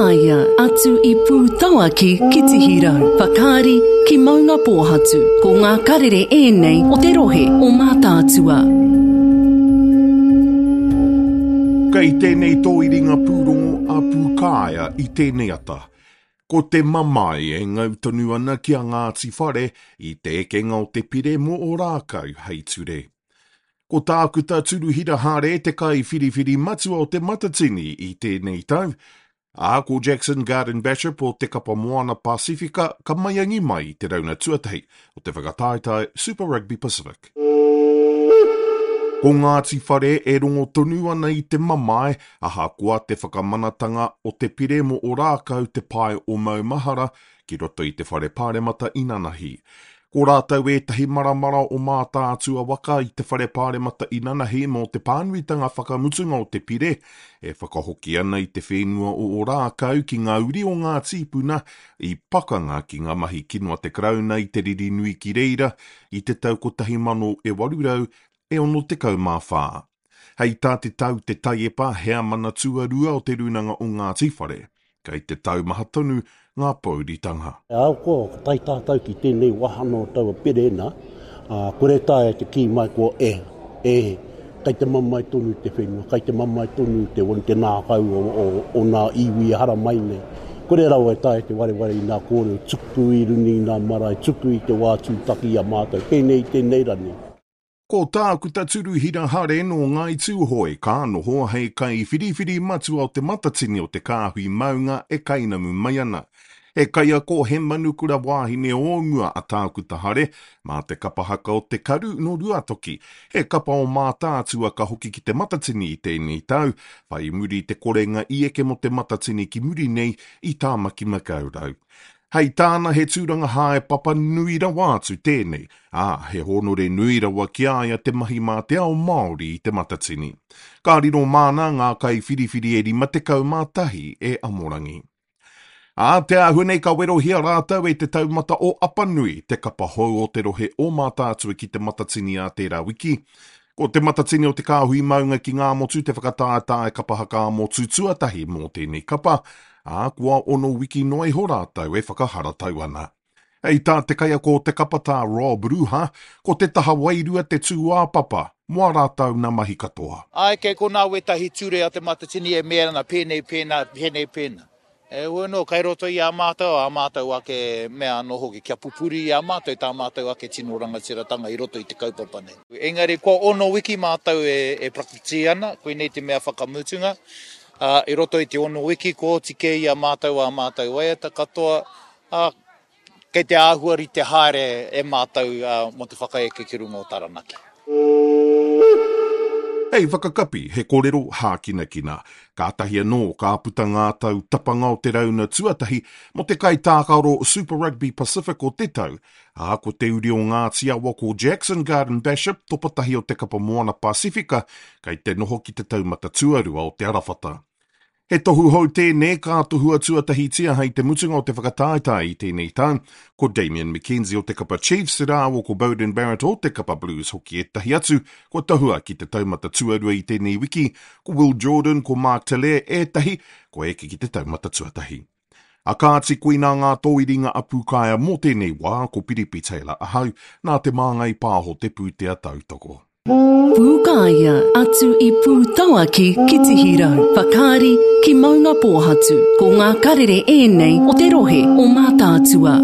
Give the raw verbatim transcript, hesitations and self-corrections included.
Pūkāea, atu i Pūtauaki ki Tihirau, Whakaari ki Maungapōhatu. Ko ngā karere ēnei o te rohe o Mātaatua. Kei tēnei tōiringa pūrongo a Pūkāea i tēnei ata. Ko te mamae e ngau tonu ana ki a Ngāti Whare i te ekenga o te pire mō Ōrākau hei ture. Ko Tākuta Turuhira Hare te kai whiriwhiri matua o Te Matatini i tēnei tau, ā, ko Jackson Garden Bachop o te Kapa Moana Pasifika ka maiangi mai i te rauna tuatahi o te whakataetae Super Rugby Pacific. Ko Ngāti Whare e rongo tonu ana i te mamae, ahakoa te whakamanatanga o te pire mō Ōrākau te pae o Maumahara ki roto i te whare pāremata inanahi. Ko rātou ētahi maramara o Mātaatua waka i te whare pāremata inanahi mō te pānuitanga whakamutunga o te pire e whakahoki ana i te whenua o Ōrākau ki ngā uri o ngā tīpuna i pakanga ki ngā mahi kino a te Karauna i te riri nui ki reira i te tau kotahi mano e waru rau e ono tekau mā whā. Hei tā te tau te taiepa heamana tuarua o te Rūnanga o Ngāti Whare, kei te taumaha tonu ngā pouritanga. Ahakoa ka tae tātou ki tēnei wāhanga o taua pere nā, ā, kore taea te kī mai kua e, e, kei te mamae tonu te whenua, kei te mamae tonu te, te ngākau o, o, o ngā iwi e haramai nei. Kore rawa e taea te wareware i ngā kōrero tuku i runga i ngā marae, tuku i te wā tūtaki i a mātou, pēnei i tēnei rani. Ko Tākuta Turuhira Hare nō Ngāi Tūhoe ka noho hei kai whiriwhiri matua o Te Matatini o te Kāhui Maunga e kainamu mai ana. He kaiako he manukura wāhine o mua a Tākuta Hare mā te kapa haka o Te Karu nō Ruatoki. He kapa o Mātaatua ka hoki ki Te Matatini i tēnei tau, whai muri te korenga i eke mō Te Matatini ki muri nei i Tāmaki Makaurau. Hei tāna he tūranga haepapa nui rawa atu tēnei, ā, he hōnore nui rawa ki a ia te mahi mā te ao Māori i Te Matatini. Ka riro māna ngā kai whiriwhiri e rima tekau mā tahi e amorangi. Ā, te āhua nei ka werohia rātou e te taumata o Apanui, te kapa hou o te rohe o Mātaatua ki Te Matatini ā tērā wiki. Ko Te Matatini o te Kāhui Maunga ki Ngāmotu te whakataetae kapa haka ā-motu tuatahi mō tēnei kapa, ā, kua ono wiki noa iho rātou e whakaharatau ana. Hei tā te kaiako o te kapa tā Rob Ruha, ko te taha wairua te tūāpapa mō ā rātou nā mahi katoa. Āe, kei konā wētahi ture a Te Matatini e mea ana pēnei pēnā, pēnei pēnā. E ua anō, kei roto i a mātou, ā mātou ake mea anō hoki, kia pupuri i a mātou tā mātou ake tino rangatiratanga i roto i te kaupapa nei. Engari kua ono wiki mātou e, e prakiti ana, koinei te mea whakamutunga. Ā, i roto i te ono wiki, kua oti kē i a mātou ā mātou waiata katoa, ā, kei te āhua rite haere e mātou mō te whakaeke ki runga o Taranaki. Hei whakakapi, he kōrero hākinakina. Kātahi anō ka puta ngā tau tapanga o te rauna tuatahi mō te kaitākaro Super Rugby Pacific o te tau, ā, ko te uri o Ngāti Awa ko Jackson Garden Bachop, topatahi o te Kapa Moana Pasifika, kei te noho ki te taumata tuarua o te arawhata. He tohu hou tēnei ka tohua tuatahitia hei te mutunga o te whakataetae i tēnei tau. Ko Damian McKenzie o te kapa Chiefs rāua ko Beauden Barrett o te kapa Blues hoki ētahi atu kua tohua ki te taumata tuarua i tēnei wiki. Ko Will Jordan, ko Mark Telea ētahi kua eke ki te taumata tuatahi. A kāti koinā ngā tōiringa a Pūkaea mō tēnei wā, ko Piripi Taylor ahau, nā Te Māngai Pāho te pūtea tautoko. Pūkāea, atu i Pūtauaki ki Tihirau, Whakaari ki Maungapōhatu. Ko ngā karere ēnei o te rohe o Mātaatua.